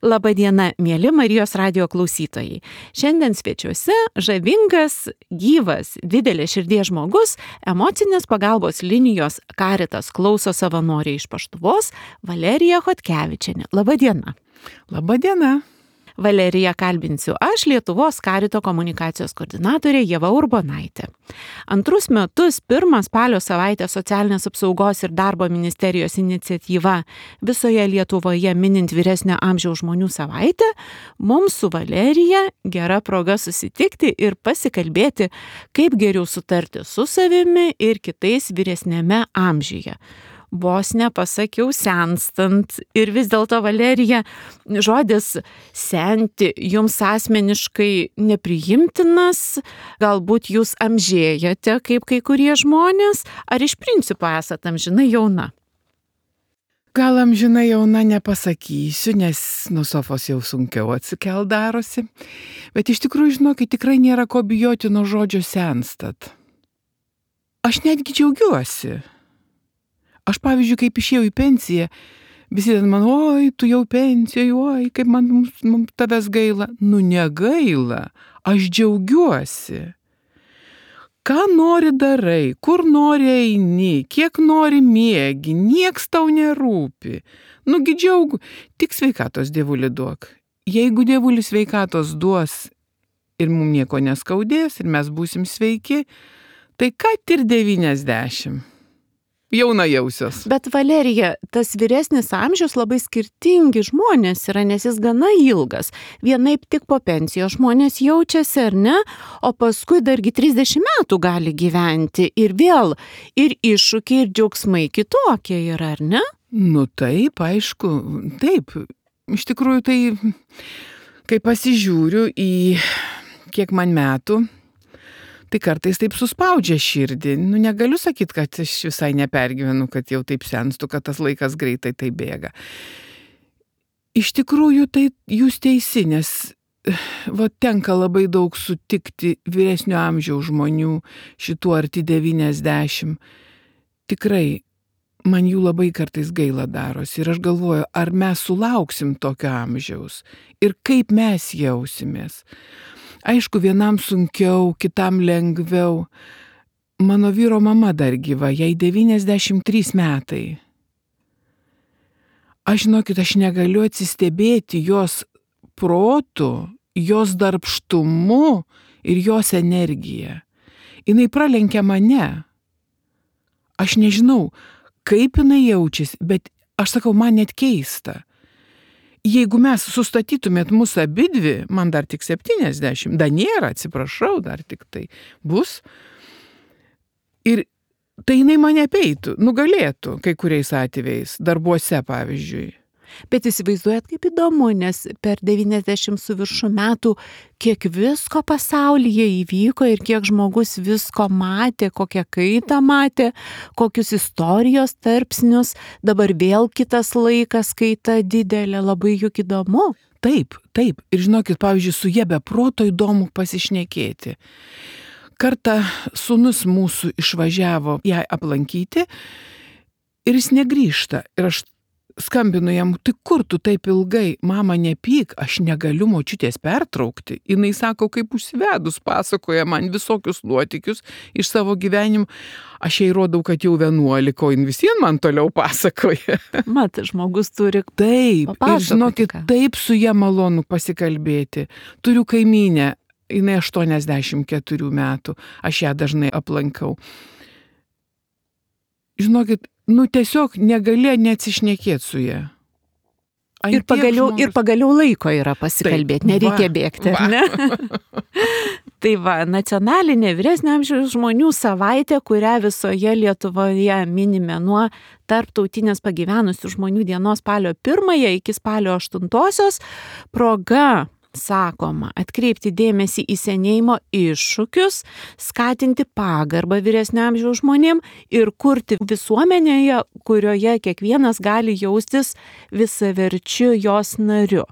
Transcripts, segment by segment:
Labadiena, mėly Marijos radijo klausytojai. Šiandien svečiuose žavingas, gyvas, didelės širdies žmogus, emocinės pagalbos linijos Caritas klauso savanorė iš Paštuvos, Valerija Chodkevičienė. Labadiena. Labadiena. Valeriją kalbinsiu aš, Lietuvos Carito komunikacijos koordinatorė Ieva Urbonaitė. Antrus metus 1 spalio savaitę Socialinės apsaugos ir darbo ministerijos iniciatyva visoje Lietuvoje minint vyresnio amžiaus žmonių savaitę, mums su Valerija gera proga susitikti ir pasikalbėti, kaip geriau sutarti su savimi ir kitais vyresnėme amžiuje. Vos nepasakiau senstant ir vis dėlto, Valerija, žodis senti jums asmeniškai nepriimtinas, galbūt jūs amžėjate kaip kai kurie žmonės, ar iš principo esate amžinai jauna? Gal amžinai jauna nepasakysiu, nes nuo sofos jau sunkiau atsikelt darosi, bet iš tikrųjų, žinokit, tikrai nėra ko bijoti nuo žodžio senstat. Aš netgi džiaugiuosi. Aš, pavyzdžiui, kaip išėjau į pensiją, visi ten man, oi, tu jau pensijai, oi, kaip man tavęs gaila. Nu, negaila, aš džiaugiuosi. Ką nori darai, kur nori eini, kiek nori miegi, nieks tau nerūpi. Nugi džiaugu, tik sveikatos Dievuli duok. Jeigu Dievulis sveikatos duos ir mums nieko neskaudės ir mes būsim sveiki, tai ką ir 90. Jauna jausios. Bet Valerija, tas vyresnis amžius labai skirtingi žmonės yra, nes jis gana ilgas. Vienaip tik po pensijos žmonės jaučiasi, ar ne? O paskui dargi 30 metų gali gyventi ir vėl ir iššūkiai, ir džiaugsmai kitokie yra, ar ne? Nu taip, aišku, taip. Iš tikrųjų tai, kai pasižiūriu į kiek man metų, tai kartais taip suspaudžia širdį. Nu, negaliu sakyti, kad aš visai nepergyvenu, kad jau taip senstu, kad tas laikas greitai tai bėga. Iš tikrųjų, tai jūs teisi, nes tenka labai daug sutikti vyresnio amžiaus žmonių, šitų arti 90. Tikrai, man jų labai kartais gaila darosi. Ir aš galvoju, ar mes sulauksim tokio amžiaus ir kaip mes jausimės. Aišku, vienam sunkiau, kitam lengviau. Mano vyro mama dar gyva, jai 93 metai. Aš, žinokit, aš negaliu atsistebėti jos protu, jos darbštumu ir jos energija. Jinai pralenkia mane. Aš nežinau, kaip jinai jaučiasi, bet aš sakau, man net keista. Jeigu mes sustatytumėt mūsų abidvi, man dar tik 70, dar nėra, atsiprašau, dar tik tai bus. Ir tai jinai mane apeitų, nugalėtų kai kuriais atvejais, darbuose pavyzdžiui. Bet įsivaizduojat, kaip įdomu, nes per 90 su viršų metų kiek visko pasaulyje įvyko ir kiek žmogus visko matė, kokią kaitą matė, kokius istorijos tarpsnius, dabar vėl kitas laikas, kaita didelė, labai juk įdomu. Taip. Ir žinokit, pavyzdžiui, su jie be proto įdomu pasišnekėti. Kartą sūnus mūsų išvažiavo ją aplankyti ir jis negrįžta. Ir aš skambinu jam, tai kur tu taip ilgai, mama nepyk, aš negaliu močiutės pertraukti. Jinai sako, kaip užsivedus pasakoja man visokius nuotykius iš savo gyvenimo. Aš jai rodau, kad jau 11, o jin visien man toliau pasakoja. Mat, žmogus turi taip, papasakoti. Ir žinokit, taip su ja malonu pasikalbėti. Turiu kaimynę, jinai 84 metų, aš ją dažnai aplankau. Žinokit, tiesiog negali neatsišnekėti su ja. Ir pagaliau laiko yra pasikalbėti, nereikia bėgti, ar ne? Tai va, nacionalinė vyresnio amžiaus žmonių savaitė, kurią visoje Lietuvoje minime nuo tarptautinės pagyvenusių žmonių dienos spalio 1 iki spalio 8 proga, sakoma, atkreipti dėmesį į senėjimo iššūkius, skatinti pagarbą vyresnio amžiaus žmonėm ir kurti visuomenėje, kurioje kiekvienas gali jaustis visaverčiu jos nariu.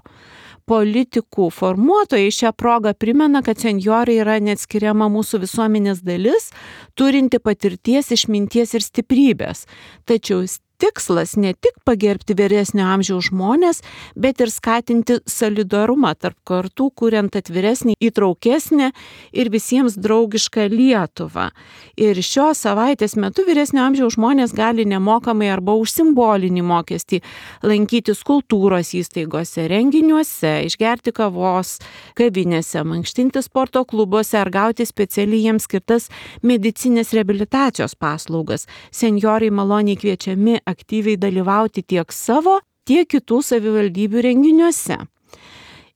Politikų formuotojai šią progą primena, kad senjorai yra neatskiriama mūsų visuomenės dalis, turinti patirties, išminties ir stiprybės. Tačiau tikslas ne tik pagerbti vyresnio amžiaus žmonės, bet ir skatinti solidarumą tarp kartų, kuriant atviresnį, įtraukesnį ir visiems draugišką Lietuvą. Ir šios savaitės metu vyresnio amžiaus žmonės gali nemokamai arba už simbolinį mokestį lankytis kultūros įstaigose, renginiuose, išgerti kavos kavinėse, mankštinti sporto klubuose ar gauti specialiai jiems skirtas medicinės reabilitacijos paslaugas. Senjorai maloniai kviečiami aktyviai dalyvauti tiek savo, tiek kitų savivaldybių renginiuose.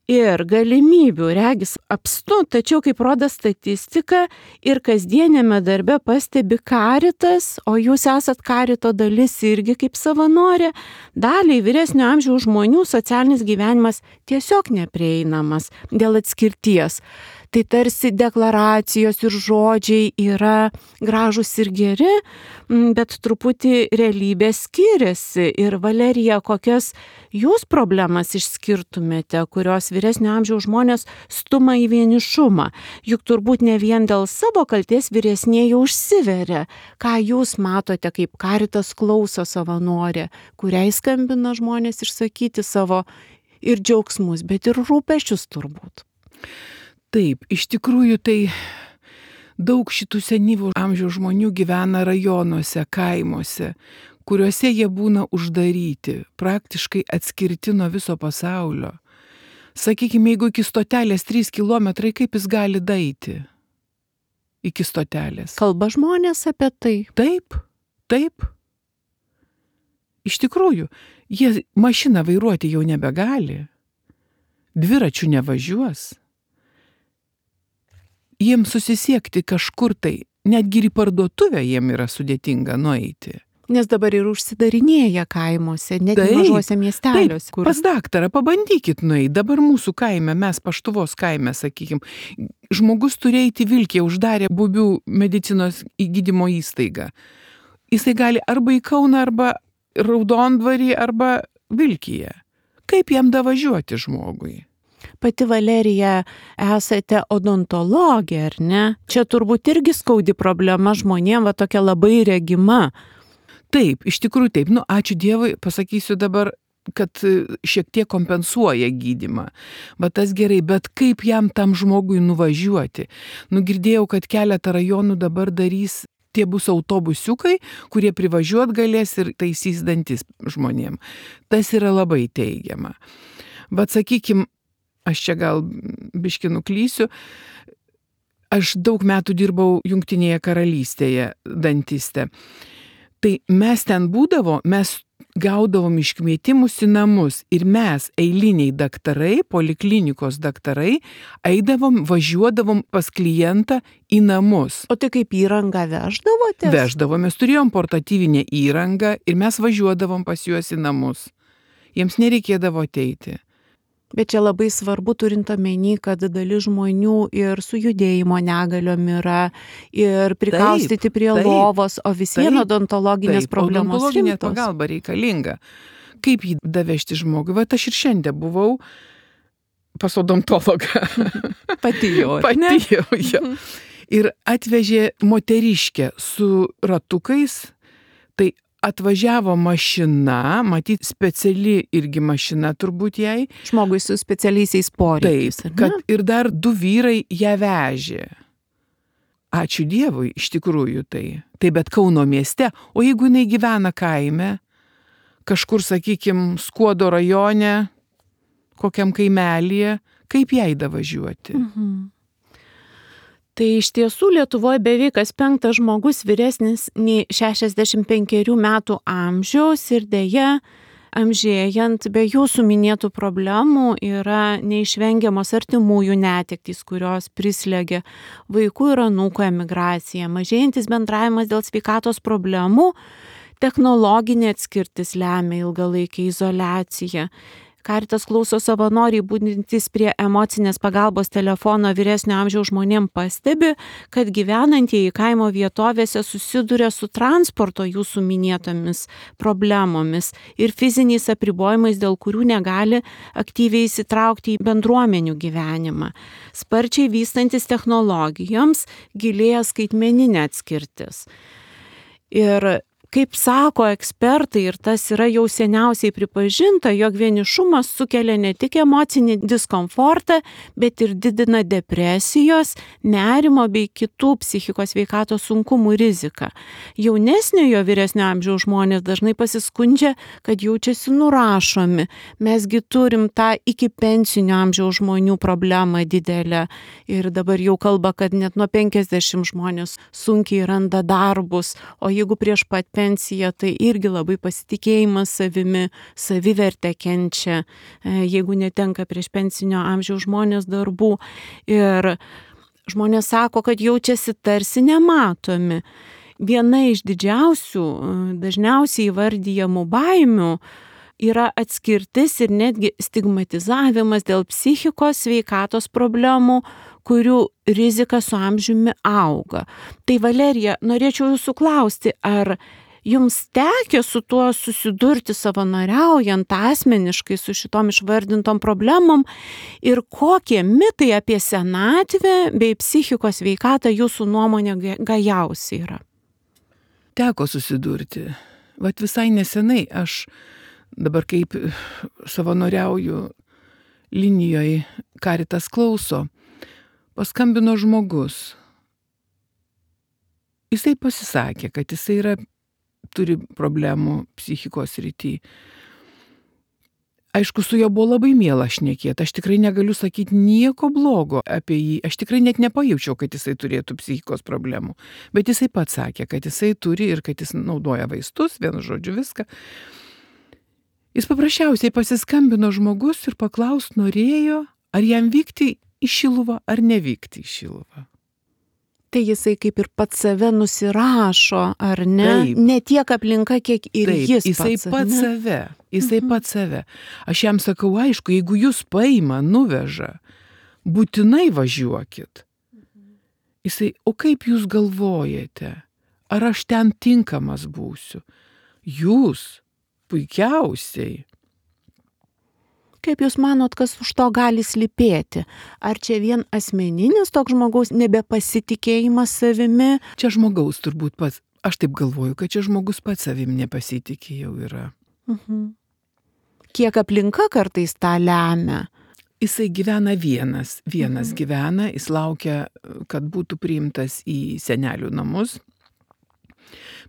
Ir galimybių regis apstu, tačiau kaip rodo statistika ir kasdienėme darbe pastebi Caritas, o jūs esat Carito dalis irgi kaip savanorė, daliai vyresnio amžiaus žmonių socialinis gyvenimas tiesiog neprieinamas dėl atskirties. Tai tarsi deklaracijos ir žodžiai yra gražus ir geri, bet truputį realybė skiriasi. Ir Valerija, kokias jūs problemas išskirtumėte, kurios vyresnio amžiaus žmonės stuma į vienišumą? Juk turbūt ne vien dėl savo kaltės vyresnieji užsiveria. Ką jūs matote, kaip Caritas klauso savanorė, kuriai skambina žmonės išsakyti savo ir džiaugsmus, bet ir rūpesčius turbūt? Taip, iš tikrųjų tai daug šitų senyvo amžiaus žmonių gyvena rajonuose, kaimuose, kuriuose jie būna uždaryti, praktiškai atskirti nuo viso pasaulio. Sakykime, jeigu iki stotelės 3 kilometrai, kaip jis gali daeiti iki stotelės? Kalba žmonės apie tai? Taip, taip. Iš tikrųjų, jie mašiną vairuoti jau nebegali, dviračių nevažiuos. Jiems susisiekti kažkur tai, netgi ir į parduotuvę jiem yra sudėtinga nueiti. Nes dabar ir užsidarinėja kaimuose, net mažuose miesteliuose. Taip, pas daktarą pabandykit nueiti. Dabar mūsų kaime, mes Paštuvos kaime, sakykim, žmogus turėjo įti Vilkėje, uždarė Bubių medicinos gydymo įstaigą. Jisai gali arba į Kauną, arba Raudondvarį, arba Vilkėje. Kaip jam davažiuoti žmogui? Pati Valerija esate odontologė, ar ne? Čia turbūt irgi skaudi problema žmonėm, va tokia labai regima. Taip, iš tikrųjų taip. Ačiū Dievui, pasakysiu dabar, kad šiek tiek kompensuoja gydymą. Va tas gerai, bet kaip jam tam žmogui nuvažiuoti? Girdėjau, kad keletą rajonų dabar darys, tie bus autobusiukai, kurie privažiuot galės ir taisys dantis žmonėm. Tas yra labai teigiama. Bet sakykim, aš čia gal biškį nuklysiu, aš daug metų dirbau Jungtinėje karalystėje dantiste. Tai mes ten mes gaudavom iškvietimus į namus ir mes, eiliniai daktarai, poliklinikos daktarai, važiuodavom pas klientą į namus. O tai kaip įrangą veždavotės? Veždavom, mes turėjom portatyvinę įrangą ir mes važiuodavom pas juos į namus. Jiems nereikėdavo ateiti. Bet čia labai svarbu turint omeny, kad dalis žmonių ir su judėjimo negaliom yra ir prikaustyti prie lovos, o visiems odontologinės problemos rimtos. Odontologinė pagalba reikalinga. Kaip jį davežti žmogui? Va, aš ir šiandien buvau pas odontologą. Pati jau. Ir atvežė moteriškę su ratukais, tai atvažiavo mašina, matyt, speciali irgi mašina turbūt jai. Žmogui su specialiaisiais poreikiais. Taip, kad ir dar 2 vyrai ją vežė. Ačiū Dievui, iš tikrųjų tai. Tai bet Kauno mieste, o jeigu jinai gyvena kaime, kažkur, sakykim, Skuodo rajone, kokiam kaimelyje, kaip jai davažiuoti? Tai iš tiesų Lietuvoje beveik kas 5 žmogus vyresnis nei 65 metų amžiaus ir deja, amžėjant be jūsų minėtų problemų yra neišvengiamos artimųjų netektys, kurios prislegia vaikų ir anūkų emigraciją, mažėjantis bendravimas dėl sveikatos problemų, technologinė atskirtis lemia ilgalaikę izoliaciją. Caritas klauso savanoriai būdintys prie emocinės pagalbos telefono vyresnio amžiaus žmonėm pastebi, kad gyvenantieji kaimo vietovėse susiduria su transporto jūsų minėtomis problemomis ir fiziniais apribojimais, dėl kurių negali aktyviai įsitraukti į bendruomenių gyvenimą. Sparčiai vystantis technologijoms gilėja skaitmeninė atskirtis. Ir Kaip sako ekspertai, ir tas yra jau seniausiai pripažinta, jog vienišumas sukelia ne tik emocinį diskomfortą, bet ir didina depresijos, nerimo bei kitų psichikos sveikatos sunkumų riziką. Jaunesniojo vyresnio amžiaus žmonės dažnai pasiskundžia, kad jaučiasi nurašomi. Mesgi turim tą iki pensinio amžiaus žmonių problemą didelę. Ir dabar jau kalba, kad net nuo 50 žmonės sunkiai randa darbus, o jeigu prieš pat pensiją, tai irgi labai pasitikėjimas savimi, savivertė kenčia, jeigu netenka prieš pensinio amžiaus žmonės darbų. Ir žmonės sako, kad jaučiasi tarsi nematomi. Viena iš didžiausių, dažniausiai įvardyjamų baimių yra atskirtis ir netgi stigmatizavimas dėl psichikos sveikatos problemų, kurių rizika su amžiumi auga. Tai Valerija, norėčiau jūsų klausti, ar jums tekę su tuo susidurti savanoriaujant asmeniškai su šitom išvardintom problemom ir kokie mitai apie senatvę bei psichikos sveikatą jūsų nuomonė gajausi yra? Teko susidurti. Vat visai nesenai aš dabar kaip savanoriauju linijoje Caritas klauso, paskambino žmogus. Jisai pasisakė, kad jisai turi problemų psichikos srity. Aišku, su juo buvo labai miela šnekėti. Aš tikrai negaliu sakyti nieko blogo apie jį. Aš tikrai net nepajaučiau, kad jisai turėtų psichikos problemų. Bet jisai pats sakė, kad jisai turi ir kad jis naudoja vaistus, vienu žodžiu viską. Jis paprasčiausiai pasiskambino žmogus ir paklaust norėjo, ar jam vykti į Šiluvą ar nevykti į Šiluvą. Tai jisai kaip ir pats save nusirašo, ar ne? Taip. Ne tiek aplinka, kiek ir Taip, jis jisai pats save. Jisai pats save. Aš jam sakau, aišku, jeigu jūs paima, nuveža, būtinai važiuokit. Jisai, o kaip jūs galvojate? Ar aš ten tinkamas būsiu? Jūs puikiausiai. Kaip jūs manot, kas už to gali slypėti? Ar čia vien asmeninis toks žmogaus nebepasitikėjimas savimi? Čia žmogaus turbūt pats. Aš taip galvoju, kad čia žmogus pats savim nepasitikė jau yra. Kiek aplinka kartais tą lemia? Jisai gyvena vienas gyvena, jis laukia, kad būtų priimtas į senelių namus,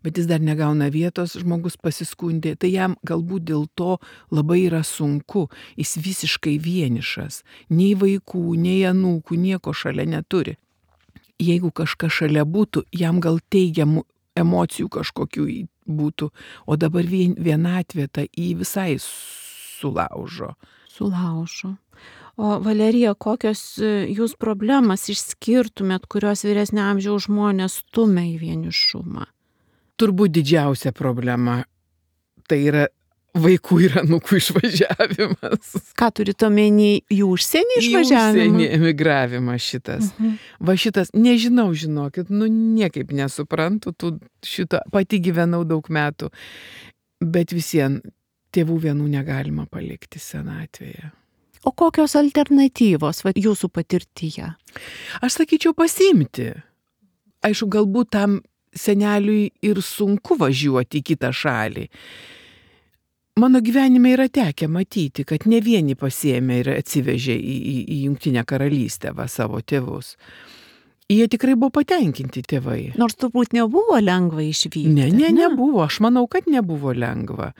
bet jis dar negauna vietos, žmogus pasiskundė, tai jam galbūt dėl to labai yra sunku, jis visiškai vienišas, nei vaikų, nei anūkų, nieko šalia neturi. Jeigu kažkas šalia būtų, jam gal teigiamų emocijų kažkokių būtų, o dabar vienatvė tą į visai sulaužo. O Valerija, kokios jūs problemas išskirtumėt, kurios vyresnio amžiaus žmonės stumia į vienišumą? Turbūt didžiausia problema tai yra vaikų ir anūkų išvažiavimas. Ką turite omeny, į užsienį išvažiavimą? Į užsienį emigravimas šitas. Va šitas, nežinau, žinokit, niekaip nesuprantu, šitą pati gyvenau daug metų, bet visien tėvų vienų negalima palikti senatvėje. O kokios alternatyvos jūsų patirtyje? Aš sakyčiau pasiimti. Aišku, galbūt tam seneliui ir sunku važiuoti į kitą šalį. Mano gyvenime yra tekę matyti, kad ne vieni pasiėmė ir atsivežė į Jungtinę karalystę savo tėvus. Jie tikrai buvo patenkinti tėvai. Nors turbūt nebuvo lengva išvykti. Nebuvo. Aš manau, kad nebuvo lengva.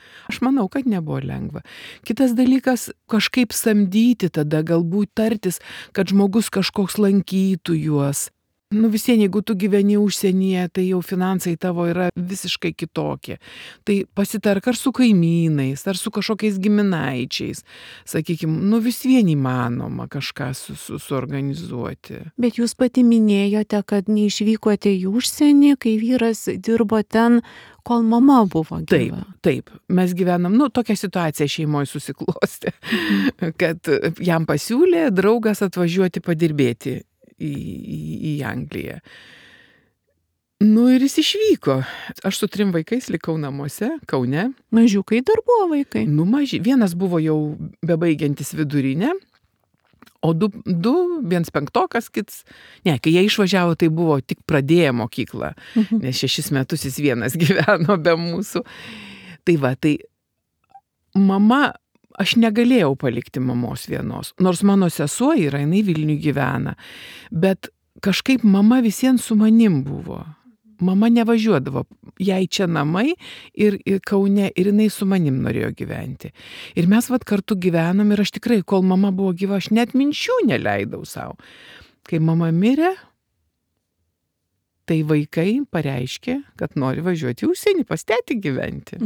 Kitas dalykas, kažkaip samdyti tada, galbūt tartis, kad žmogus kažkoks lankytų juos. Visien, jeigu tu gyveni užsienyje, tai jau finansai tavo yra visiškai kitokie. Tai pasitark ar su kaimynais, ar su kažkokiais giminaičiais. Sakykime, vis vien įmanoma kažką suorganizuoti. Bet jūs pati minėjote, kad neišvykote į užsienį, kai vyras dirbo ten, kol mama buvo gyva. Taip. Mes gyvenam, tokia situacija šeimoje susiklostė, kad jam pasiūlė draugas atvažiuoti padirbėti į Angliją. Ir jis išvyko. Aš su 3 vaikais likau namuose, Kaune. Mažiukai dar buvo vaikai? Maži. Vienas buvo jau bebaigiantis vidurinę, O viens penktokas, kits. Ne, kai jie išvažiavo, tai buvo tik pradėję mokyklą, nes 6 metus jis vienas gyveno be mūsų. Tai va, tai mama, aš negalėjau palikti mamos vienos, nors mano sesuo yra, jinai Vilniuje gyvena, bet kažkaip mama visiems su manim buvo. Mama nevažiuodavo, jai čia namai ir Kaune, ir jinai su manim norėjo gyventi. Ir mes kartu gyvenom ir aš tikrai, kol mama buvo gyva, aš net minčių neleidau savo. Kai mama mirė, tai vaikai pareiškė, kad nori važiuoti į užsienį, pas tetį gyventi.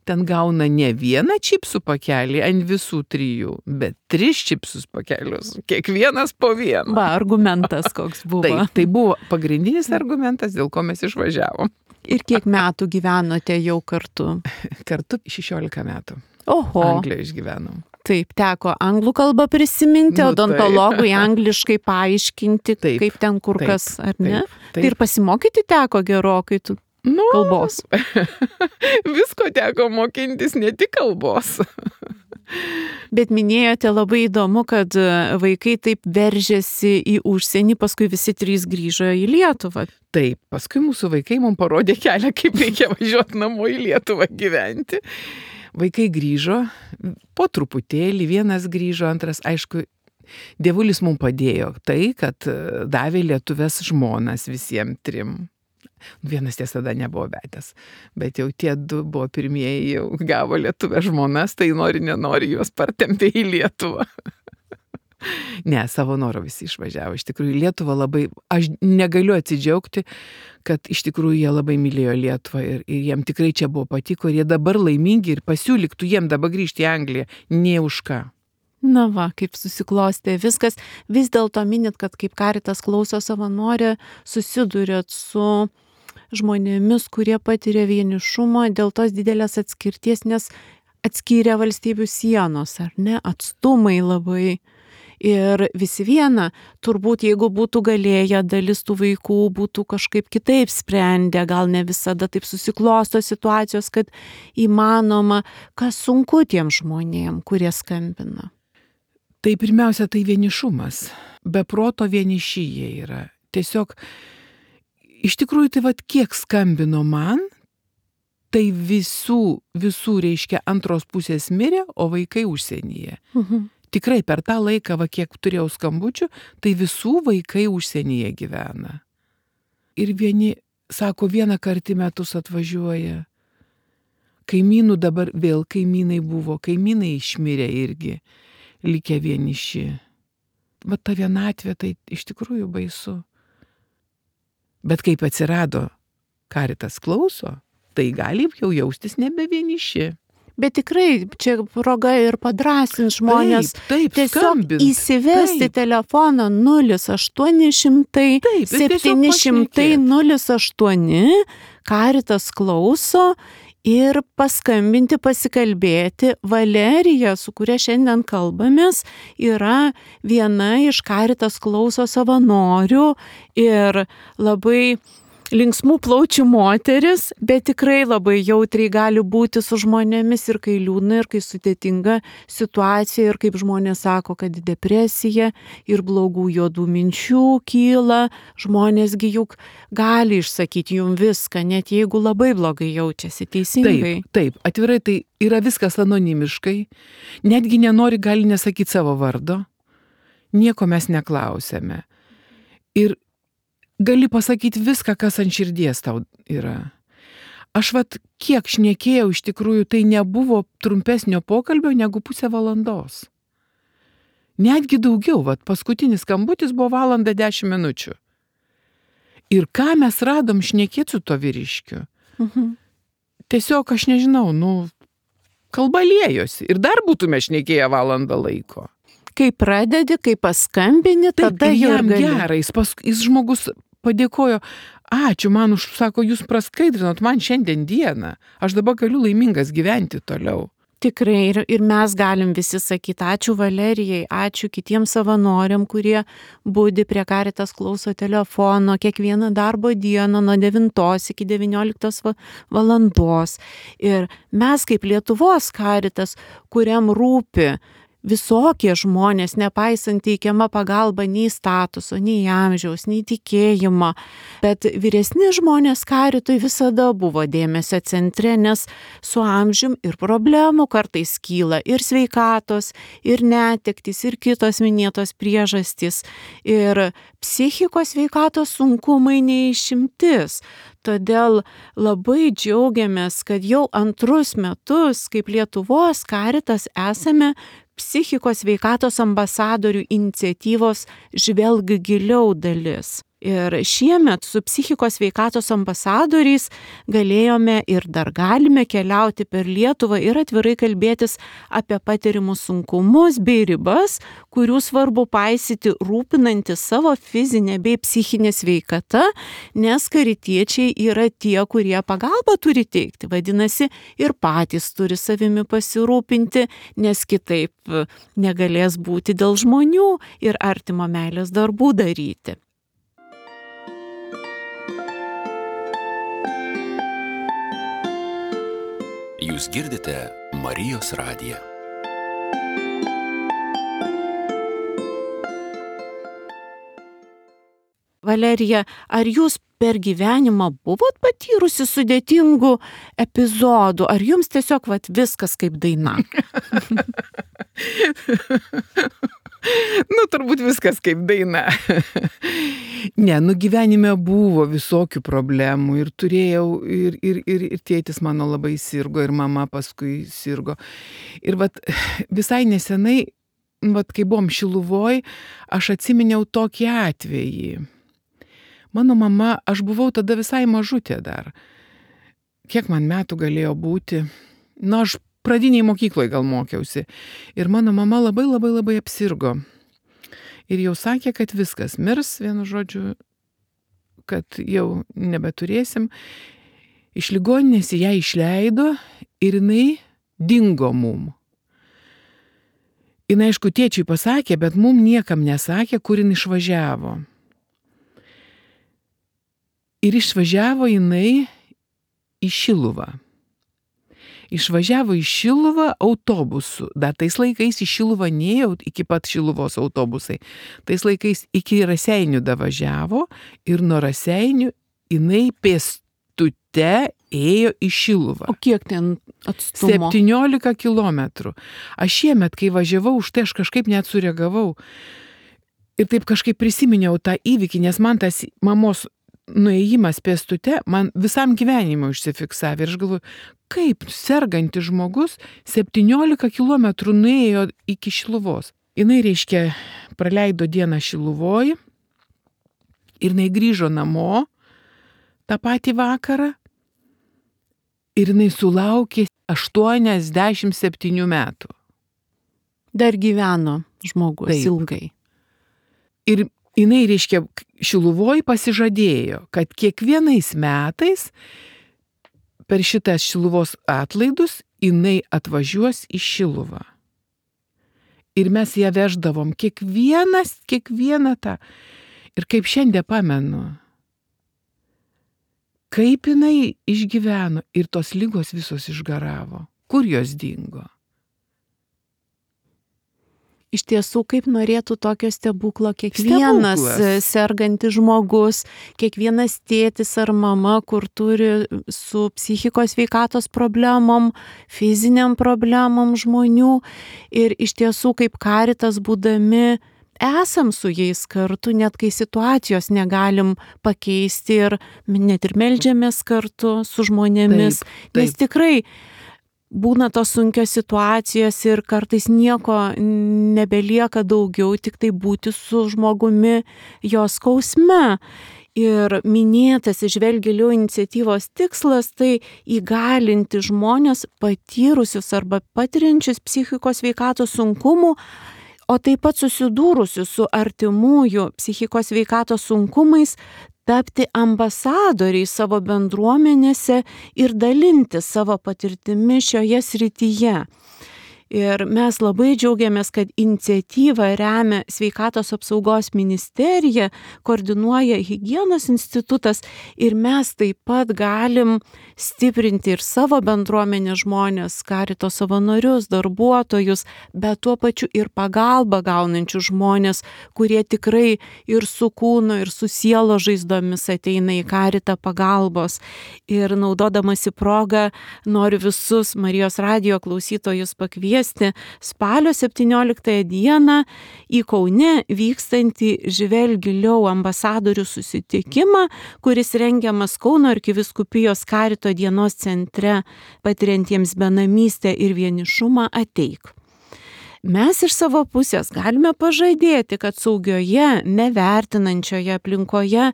Ten gauna ne vieną čipsų pakelį ant visų 3, bet 3 čipsus pakelius, kiekvienas po vieną. Va, argumentas koks buvo. Tai buvo pagrindinis argumentas, dėl ko mes išvažiavom. Ir kiek metų gyvenote jau kartu? Kartu 16 metų. Oho. Anglijoje išgyvenom. Taip, teko anglų kalbą prisiminti, odontologui angliškai paaiškinti, kaip ten kur kas, ar ne? Tai ir pasimokyti teko gerokai kalbos. Visko teko mokintis, ne tik kalbos. Bet minėjote labai įdomu, kad vaikai taip veržėsi į užsienį, paskui visi 3 grįžo į Lietuvą. Taip, paskui mūsų vaikai mums parodė kelią, kaip reikia važiuoti namo į Lietuvą gyventi. Vaikai grįžo, po truputėlį, vienas grįžo, antras, aišku, dievulis mums padėjo tai, kad davė lietuvės žmonas visiems 3. Vienas tiesa tada nebuvo vedęs, bet jau tie 2 buvo pirmieji, jau gavo lietuvės žmonas, tai nenori juos partempė į Lietuvą. Ne, savo noro visi išvažiavo. Iš tikrųjų, Lietuva labai, aš negaliu atsidžiaugti, kad iš tikrųjų jie labai mylėjo Lietuvą ir jiem tikrai čia buvo patiko ir jie dabar laimingi ir pasiūlyktų jiem dabar grįžti į Angliją, ne už ką. Na va, kaip susiklostė viskas. Vis dėlto minit, kad kaip Caritas klauso savanorė, susidurėt su žmonėmis, kurie patiria vienišumą dėl tos didelės atskirties, nes atskyrė valstybių sienos, ar ne, atstumai labai. Ir visi viena, turbūt jeigu būtų galėję, dalis tų vaikų būtų kažkaip kitaip sprendę, gal ne visada taip susiklosto situacijos, kad įmanoma, kas sunku tiem žmonėm, kurie skambina. Tai pirmiausia, tai vienišumas. Be proto vieniši jie yra. Tiesiog, iš tikrųjų, tai kiek skambino man, tai visų reiškia antros pusės mirė, o vaikai užsienyje. Tikrai per tą laiką, kiek turėjau skambučių, tai visų vaikai užsienyje gyvena. Ir vieni, sako, vieną kartą į metus atvažiuoja. Kaimynų dabar vėl kaimynai buvo, kaimynai išmirė irgi, likę vieniši. Ta vienatvė, tai iš tikrųjų baisu. Bet kaip atsirado Caritas klauso, tai gali jau jaustis nebe vieniši. Bet tikrai čia proga ir padrąsins žmonės tiesiog įsivesti telefoną 0800 700 08 Caritas klauso ir paskambinti, pasikalbėti. Valerija, su kuria šiandien kalbamės, yra viena iš Caritas klauso savanorių ir labai linksmų plaučių moteris, bet tikrai labai jautriai gali būti su žmonėmis ir kai liūdna, ir kai sudėtinga situacija, ir kaip žmonės sako, kad depresija ir blogų juodų minčių kyla, žmonėsgi juk gali išsakyti jums viską, net jeigu labai blogai jaučiasi, teisingai. Taip, atvirai tai yra viskas anonimiškai, netgi nenori gali nesakyti savo vardo, nieko mes neklausėme. Ir gali pasakyti viską, kas ant širdies tau yra. Aš kiek šnekėjau, iš tikrųjų, tai nebuvo trumpesnio pokalbio negu pusę valandos. Netgi daugiau, paskutinis skambutis buvo 1:10 minučių. Ir ką mes radom šnekėti su to vyriškiu? Tiesiog, aš nežinau, kalba liejosi. Ir dar būtume šnekėję valandą laiko. Kai pradedi, kai paskambini, tada jam gerai, jis žmogus padėkojo, ačiū man sako, jūs praskaidrinot man šiandien dieną, aš dabar galiu laimingas gyventi toliau. Tikrai, ir mes galim visi sakyti, ačiū Valerijai, ačiū kitiems savanoriam, kurie budi prie Caritas klauso telefono kiekvieną darbo dieną nuo 9 iki 19 valandos. Ir mes kaip Lietuvos Caritas, kuriam rūpi visokie žmonės, nepaisant teikiama pagalba nei statuso, nei amžiaus, nei tikėjimo, bet vyresni žmonės karitui visada buvo dėmesio centre, nes su amžium ir problemų kartais kyla ir sveikatos, ir netektys, ir kitos minėtos priežastys, ir psichikos sveikatos sunkumai neišimtis. Todėl labai džiaugiamės, kad jau antrus metus, kaip Lietuvos karitas, esame psichikos sveikatos ambasadorių iniciatyvos Žvelk giliau dalis. Ir šiemet su psichikos sveikatos ambasadoriais galėjome ir dar galime keliauti per Lietuvą ir atvirai kalbėtis apie patirimus sunkumus bei ribas, kurių svarbu paisyti rūpinantis savo fizinę bei psichinę sveikatą, nes karitiečiai yra tie, kurie pagalbą turi teikti. Vadinasi, ir patys turi savimi pasirūpinti, nes kitaip negalės būti dėl žmonių ir artimo meilės darbų daryti. Jūs girdite Marijos radiją. Valerija, ar jūs per gyvenimą buvot patyrusi sudėtingų epizodų, ar jums tiesiog viskas kaip daina? Turbūt viskas kaip daina. Ne, gyvenime buvo visokių problemų ir turėjau, ir tėtis mano labai sirgo, ir mama paskui sirgo. Ir visai nesenai, kai buvom Šiluvoj, aš atsiminiau tokį atvejį. Mano mama, aš buvau tada visai mažutė dar. Kiek man metų galėjo būti? Aš pradiniai mokykloje gal mokiausi. Ir mano mama labai apsirgo. Ir jau sakė, kad viskas mirs, vienu žodžiu, kad jau nebeturėsim. Iš ligoninės ją išleido ir jinai dingo mum. Jinai, aišku, tėčiui pasakė, bet mum niekam nesakė, kur jinai išvažiavo. Ir išvažiavo jinai į Šiluvą. Išvažiavo į Šiluvą autobusu. Dar tais laikais į Šiluvą nėjo iki pat Šiluvos autobusai. Tais laikais iki Raseinių davažiavo ir nuo Raseinių jinai pėstute ėjo į Šiluvą. O kiek ten atstumo? 17 kilometrų. Aš šiemet, kai važiavau, už tai aš kažkaip net sureagavau. Ir taip kažkaip prisiminiau tą įvykį, nes man tas mamos nuėjimas pėstute man visam gyvenimui užsifiksavė. Ir aš galvoju, kaip sergantis žmogus 17 kilometrų nuėjo iki Šiluvos. Jinai, reiškia, praleido dieną Šiluvoj ir jinai grįžo namo tą patį vakarą ir jinai sulaukė 87 metų. Dar gyveno žmogus. Taip. Ilgai. Ir jinai, reiškia, Šiluvoj pasižadėjo, kad kiekvienais metais per šitas Šiluvos atlaidus jinai atvažiuos į Šiluvą. Ir mes ją veždavom kiekvieną tą. Ir kaip šiandien pamenu, kaip jinai išgyveno ir tos ligos visos išgaravo. Kur jos dingo? Iš tiesų, kaip norėtų tokio stebuklo kiekvienas sergantis žmogus, kiekvienas tėtis ar mama, kur turi su psichikos sveikatos problemom, fiziniam problemom žmonių. Ir iš tiesų, kaip karitas būdami, esam su jais kartu, net kai situacijos negalim pakeisti ir net ir meldžiamės kartu su žmonėmis. Taip. Nes tikrai būna tos sunkios situacijos ir kartais nieko nebelieka daugiau, tik tai būti su žmogumi jo skausme. Ir minėtas Žvelk giliau iniciatyvos tikslas tai įgalinti žmonės patyrusius arba patiriančius psichikos sveikatos sunkumų, o taip pat susidūrusius su artimųjų psichikos sveikatos sunkumais, tapti ambasadoriai savo bendruomenėse ir dalinti savo patirtimi šioje srityje. Ir mes labai džiaugiamės, kad iniciatyvą remia Sveikatos apsaugos ministerija, koordinuoja Higienos institutas ir mes taip pat galim stiprinti ir savo bendruomenės žmonės, karito savanorius, darbuotojus, bet tuo pačiu ir pagalbą gaunančių žmonės, kurie tikrai ir su kūno, ir su sielo žaizdomis ateina į karitą pagalbos. Ir naudodamasi progą noriu visus Marijos radijo klausytojus pakviesti spalio 17 dieną į Kaune vykstantį Žvelk giliau ambasadorių susitikimą, kuris rengiamas Kauno arkivyskupijos karito dienos centre patiriantiems benamystę ir vienišumą Ateik. Mes iš savo pusės galime pažadėti, kad saugioje, nevertinančioje aplinkoje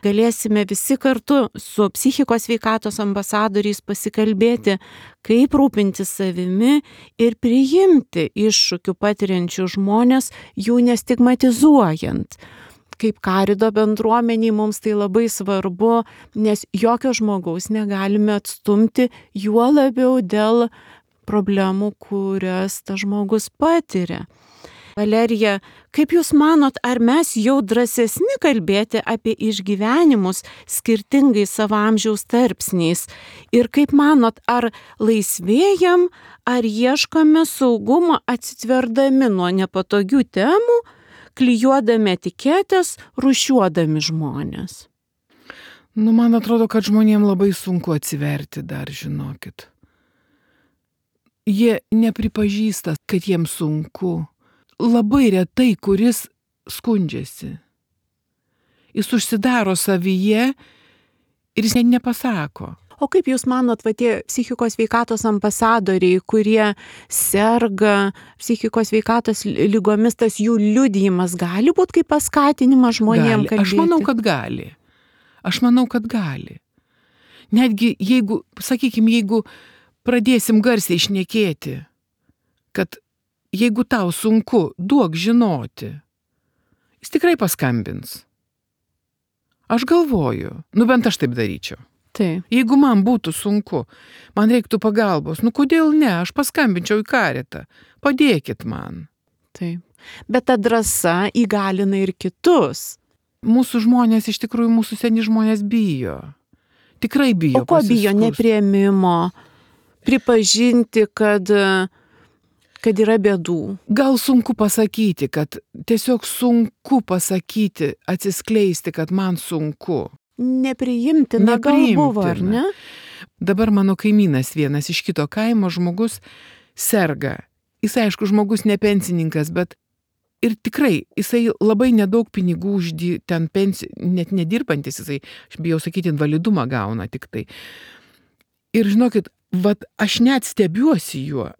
galėsime visi kartu su psichikos sveikatos ambasadoriais pasikalbėti, kaip rūpintis savimi ir priimti iššūkių patiriančių žmonės, jų nestigmatizuojant. Kaip karito bendruomeniai mums tai labai svarbu, nes jokio žmogaus negalime atstumti, juo labiau dėl problemų, kurias tas žmogus patiria. Valerija, kaip Jūs manot, ar mes jau drąsesni kalbėti apie išgyvenimus skirtingai savo amžiaus tarpsniais? Ir kaip manot, ar laisvėjam, ar ieškome saugumo atsitverdami nuo nepatogių temų, klijuodami etiketės, rūšiuodami žmonės? Man atrodo, kad žmonėms labai sunku atsiverti dar, žinokit. Jie nepripažįsta, kad jiems sunku. Labai retai, kuris skundžiasi. Jis užsidaro savyje ir jis nepasako. O kaip Jūs manot, tie psichikos sveikatos ambasadoriai, kurie serga psichikos sveikatos ligomis, tas jų liudijimas gali būti kaip paskatinimas žmonėms kalbėti? Aš manau, kad gali. Netgi jeigu, jeigu pradėsim garsiai šnekėti, kad jeigu tau sunku, duok žinoti, jis tikrai paskambins. Aš galvoju, bent aš taip daryčiau. Taip. Jeigu man būtų sunku, man reiktų pagalbos, kodėl ne, aš paskambinčiau į karitą, padėkit man. Taip. Bet ta drąsa įgalina ir kitus. Mūsų žmonės, iš tikrųjų, mūsų seni žmonės bijo. Tikrai bijo. O ko bijo? Nepriėmimo, pripažinti, kad yra bėdų. Gal sunku pasakyti, kad tiesiog sunku pasakyti, atsiskleisti, kad man sunku. Nepriimtina gal buvo, ar ne? Dabar mano kaimynas vienas iš kito kaimo žmogus serga. Jis, aišku, žmogus ne pensininkas, bet ir tikrai jisai labai nedaug pinigų ten net nedirbantis, jisai, aš bijau sakyti, invalidumą gauna tik tai. Ir žinokit, aš net stebiuosi juo,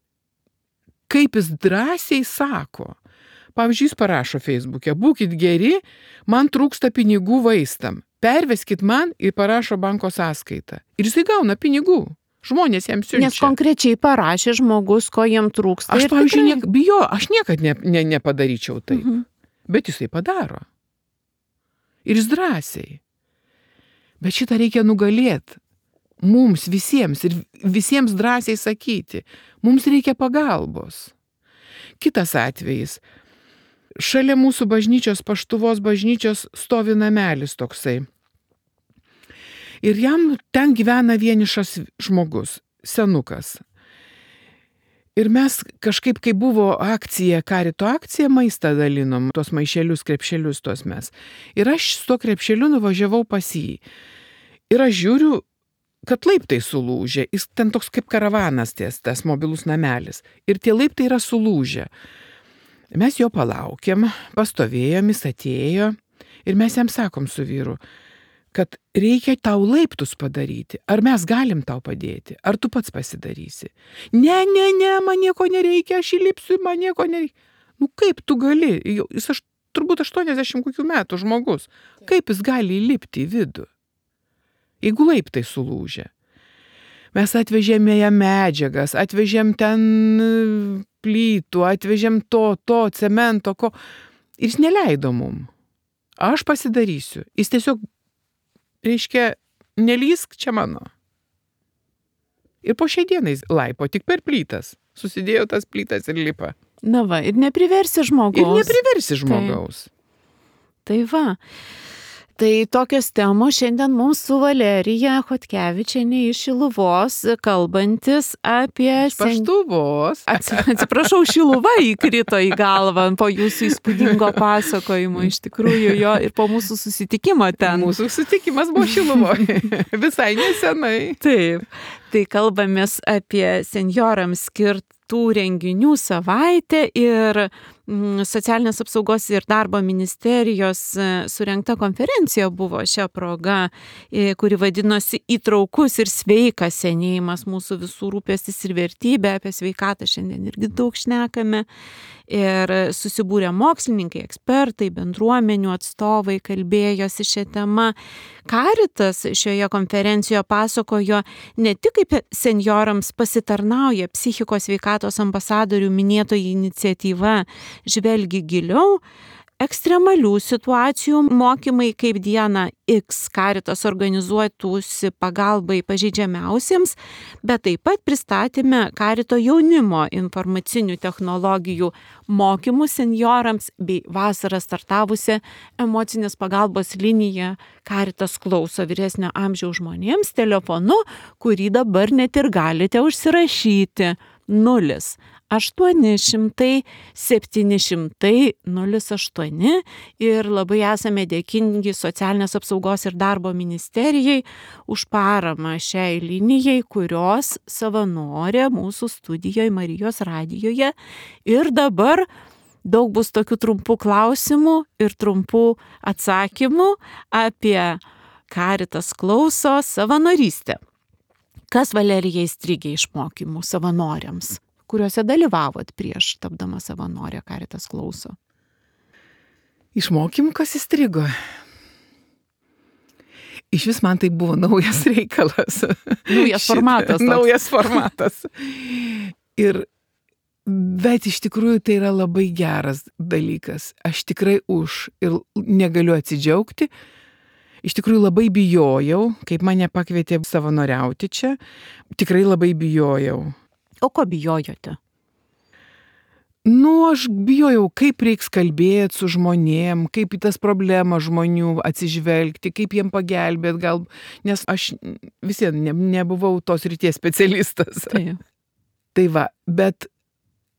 kaip jis drąsiai sako. Pavyzdžiui, jis parašo Facebook'e, būkit geri, man trūksta pinigų vaistam. Perveskit man ir parašo banko sąskaitą. Ir jisai gauna pinigų. Žmonės jam siunčia. Nes konkrečiai parašė žmogus, ko jam trūksta. Aš, pavyzdžiui, aš niekad nepadaryčiau taip. Bet jisai padaro. Ir jis drąsiai. Bet šitą reikia nugalėti. Mums visiems ir visiems drąsiai sakyti. Mums reikia pagalbos. Kitas atvejis. Šalia mūsų bažnyčios, Paštuvos bažnyčios, stovi namelis toksai. Ir jam ten gyvena vienišas žmogus, senukas. Ir mes kažkaip, kai buvo akcija, karito akcija, maistą dalinom, tuos maišelius, krepšelius tuos mes. Ir aš su to krepšeliu nuvažiavau pas jį. Ir aš žiūriu, kad laiptai sulūžė. Jis ten toks kaip karavanas tas mobilus namelis. Ir tie laiptai yra sulūžę. Mes jo palaukėm, pastovėjom, jis atėjo ir mes jam sakom su vyru, kad reikia tau laiptus padaryti. Ar mes galim tau padėti? Ar tu pats pasidarysi? Ne, man nieko nereikia, aš įlipsiu, man nieko nereikia. Kaip tu gali? Jis turbūt 80 kokių metų žmogus. Kaip jis gali įlipti į vidų? Jeigu laiptai sulūžė. Mes atvežėme jam medžiagas, atvežėm ten plytų, atvežėm to, cemento, ko. Ir jis neleido mum. Aš pasidarysiu. Jis tiesiog, reiškia, nelysk čia mano. Ir po šiai dienai laipo tik per plytas. Susidėjo tas plytas ir lipa. Na va, ir nepriversi žmogaus. Ir nepriversi žmogaus. Tai va. Tai tokios temos šiandien mums su Valerija Chodkevičienė iš Šiluvos, kalbantis apie... Paštuvos. Atsiprašau, Šiluva įkrito į galvą po jūsų įspūdingo pasakojimo, iš tikrųjų jo, ir po mūsų susitikimo ten. Mūsų susitikimas buvo Šiluvoje, visai nesenai. Taip, tai kalbamės apie senjorams skirtų renginių savaitę ir Socialinės apsaugos ir darbo ministerijos surengta konferencija buvo šią progą, kuri vadinosi Įtraukus ir sveikas senėjimas, mūsų visų rūpestis ir vertybė. Apie sveikatą šiandien irgi daug šnekame. Ir susibūrė mokslininkai, ekspertai, bendruomenių atstovai kalbėjosi šią temą. Caritas šioje konferencijoje pasakojo ne tik kaip senjorams pasitarnauja psichikos sveikatos ambasadorių minėtoji iniciatyva Žvelgi giliau, ekstremalių situacijų mokymai kaip dieną X Caritas organizuotųsi pagalbai pažeidžiamiausiems, bet taip pat pristatėme Carito jaunimo informacinių technologijų mokymus senjorams bei vasarą startavusią emocinės pagalbos liniją Caritas klauso vyresnio amžiaus žmonėms telefonu, kurį dabar net ir galite užsirašyti 0800 700 08 ir labai esame dėkingi Socialinės apsaugos ir darbo ministerijai už paramą šiai linijai, kurios savanorė mūsų studijoje Marijos radijoje. Ir dabar daug bus tokių trumpų klausimų ir trumpų atsakymų apie Caritas klauso savanorystę. Kas Valerija įstrigė iš mokymų savanoriams, kuriuose dalyvavot prieš tapdama savanorė Caritas klauso? Iš mokymų kas įstrigo? Iš vis man tai buvo naujas reikalas. Naujas formatas. Naujas formatas. Bet iš tikrųjų tai yra labai geras dalykas. Aš tikrai už ir negaliu atsidžiaugti. Iš tikrųjų labai bijojau, kaip mane pakvietė savanoriauti čia. Tikrai labai bijojau. O ko bijojote? Aš bijojau, kaip reiks kalbėti su žmonėm, kaip į tas problemas žmonių atsižvelgti, kaip jiem pagelbėti, gal, nes aš vis vien nebuvau tos ryties specialistas. Tai va, bet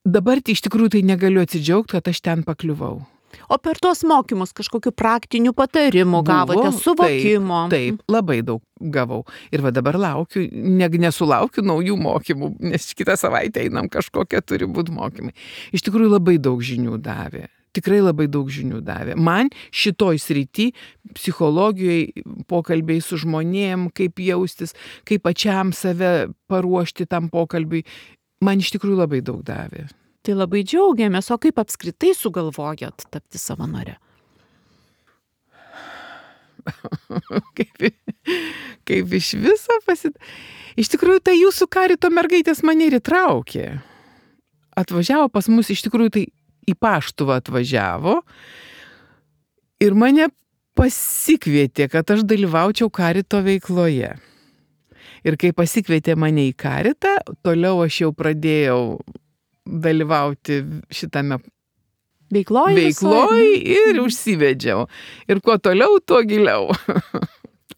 dabar iš tikrųjų tai negaliu atsidžiaugti, kad aš ten pakliuvau. O per tuos mokymus kažkokių praktinių patarimų gavote, suvokimo? Taip, labai daug gavau. Ir va dabar laukiu, nesulaukiu naujų mokymų, nes kitą savaitę einam kažkokie turi būti mokymai. Iš tikrųjų labai daug žinių davė. Tikrai labai daug žinių davė. Man šitoj srity, psichologijoje, pokalbiai su žmonėm, kaip jaustis, kaip pačiam save paruošti tam pokalbiui, man iš tikrųjų labai daug davė. Tai labai džiaugiamės, o kaip apskritai sugalvojot tapti savanore? Kaip iš viso Iš tikrųjų, tai jūsų Carito mergaitės mane ir įtraukė. Atvažiavo pas mus, iš tikrųjų, tai į Paštuvą atvažiavo ir mane pasikvietė, kad aš dalyvaučiau Carito veikloje. Ir kai pasikvietė mane į Caritą, toliau aš jau pradėjau dalyvauti šitame veikloj ir užsivedžiau. Ir kuo toliau, tuo giliau.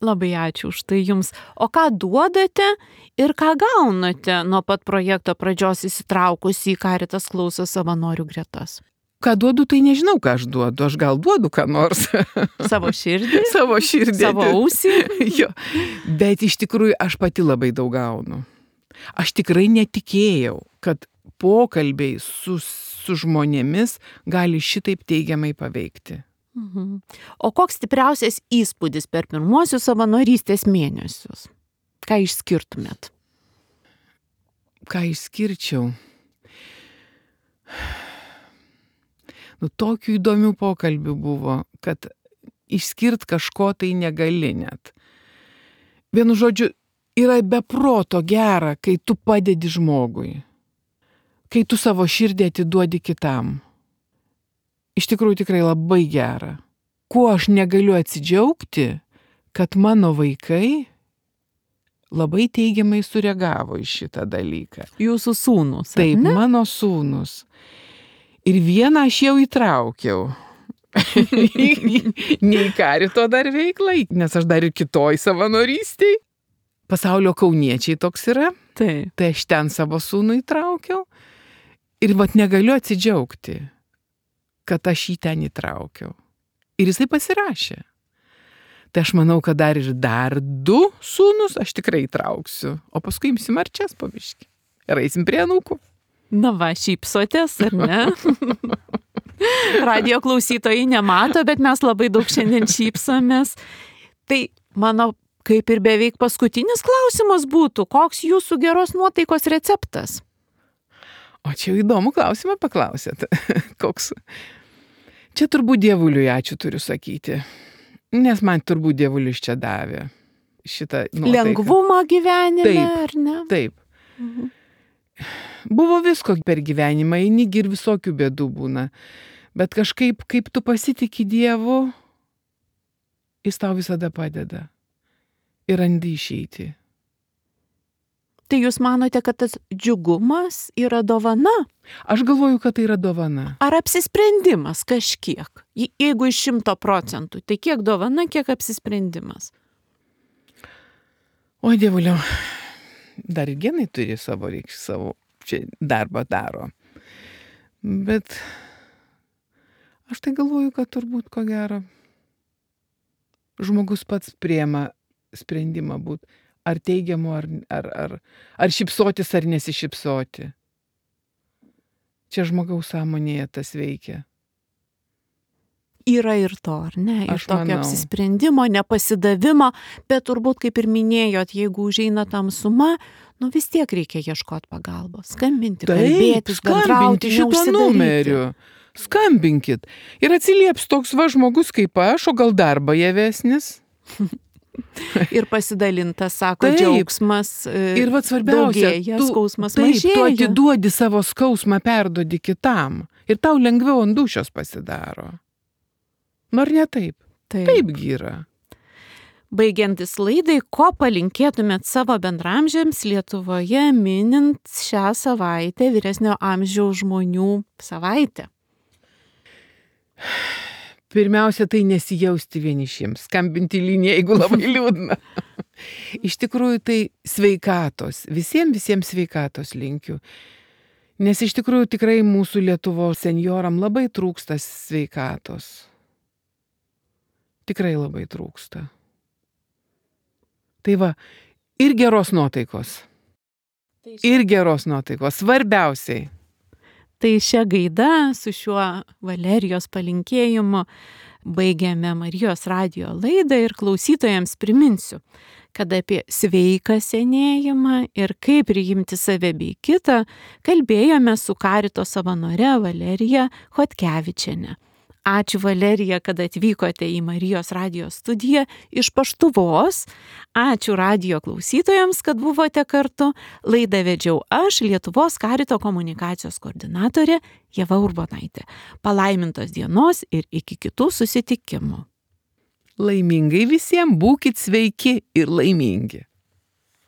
Labai ačiū už tai jums. O ką duodate ir ką gaunate nuo pat projekto pradžios įsitraukus į Caritas klauso savanorių gretas? Ką duodu, tai nežinau, ką aš duodu. Aš gal duodu ką nors. Savo širdį? Savo širdį. Savo ausį? Jo. Bet iš tikrųjų aš pati labai daug gaunu. Aš tikrai netikėjau, kad pokalbiai su žmonėmis gali šitaip teigiamai paveikti. O koks stipriausias įspūdis per pirmuosius savanorystės mėnesius? Ką išskirtumėt? Ką išskirčiau? Tokių įdomių pokalbių buvo, kad išskirt kažko tai negali net. Vienu žodžiu, yra beproto gera, kai tu padedi žmogui. Kai tu savo širdį atiduodi kitam. Iš tikrųjų tikrai labai gera. Kuo aš negaliu atsidžiaugti, kad mano vaikai labai teigiamai sureagavo į šitą dalyką. Jūsų sūnus. Taip, mano sūnus. Ir vieną aš jau įtraukiau. Ne į karito dar veiklą, nes aš dar ir kitoj savanorystėj. Pasaulio kauniečiai toks yra. Taip. Tai aš ten savo sūnų įtraukiau. Ir negaliu atsidžiaugti, kad aš jį ten įtraukiau. Ir jisai pasirašė. Tai aš manau, kad dar 2 sūnus aš tikrai įtrauksiu. O paskui imsim arčias po biškį. Ir eisim prie anūkų. Na va, šypsotės, ar ne? Radio klausytojai nemato, bet mes labai daug šiandien šypsomės. Tai mano kaip ir beveik paskutinis klausimas būtų, koks jūsų geros nuotaikos receptas? O čia jau įdomų klausimą paklausėt. Koks? Čia turbūt Dievuliui ačiū turiu sakyti. Nes man turbūt Dievulis čia davė šitą nuotaiką. Lengvumą gyvenime, taip, ar ne? Taip. Buvo visko per gyvenimą, einigi ir visokių bėdų būna. Bet kažkaip, kaip tu pasitiki Dievu, jis tau visada padeda. Ir randi išeiti. Tai jūs manote, kad tas džiugumas yra dovana? Aš galvoju, kad tai yra dovana. Ar apsisprendimas kažkiek? Jeigu iš 100%, tai kiek dovana, kiek apsisprendimas? O Dievuliau, dar ir genai turi savo čia darbą daro. Bet aš tai galvoju, kad turbūt ko gero žmogus pats priema sprendimą būt ar teigiamu, ar šypsotis, ar nesišypsoti. Čia žmogaus sąmonėje tas veikia. Yra ir to, ar ne? Ir Aš tokio manau. apsisprendimo, nepasidavimo, bet turbūt, kaip ir minėjot, jeigu užeina tamsuma, vis tiek reikia ieškoti pagalbos. Skambinti, kalbėtis, bendrauti, šito neužsidaryti. numeriu. Skambinkit. Ir atsilieps toks žmogus kaip aš, o gal dar bajavesnis. Ir pasidalintas, sako, Taip. džiaugsmas Ir svarbiausia, daugėja, skausmas tu mažėja. atiduodi savo skausmą, perduodi kitam. Ir tau lengviau ant dūšios pasidaro. Ar ne taip? Taipgi yra. Baigiantis laidai, ko palinkėtumėt savo bendramžiams Lietuvoje minint šią savaitę vyresnio amžiaus žmonių savaitę? Pirmiausia, tai nesijausti vienišiems, skambinti liniją, jeigu labai liūdna. Iš tikrųjų, tai sveikatos, visiems sveikatos linkiu. Nes iš tikrųjų tikrai mūsų Lietuvos senjoram labai trūksta sveikatos. Tikrai labai trūksta. Tai va, ir geros nuotaikos. Ir geros nuotaikos, svarbiausiai. Tai šią gaidą su šiuo Valerijos palinkėjimu baigiame Marijos radijo laidą ir klausytojams priminsiu, kad apie sveiką senėjimą ir kaip priimti save bei kitą kalbėjome su karito savanore Valerija Chodkevičiene. Ačiū Valerija, kad atvykote į Marijos radijo studiją iš Paštuvos. Ačiū radijo klausytojams, kad buvote kartu. Laidą vedžiau aš, Lietuvos karito komunikacijos koordinatorė Ieva Urbonaitė. Palaimintos dienos ir iki kitų susitikimų. Laimingai visiems, būkit sveiki ir laimingi.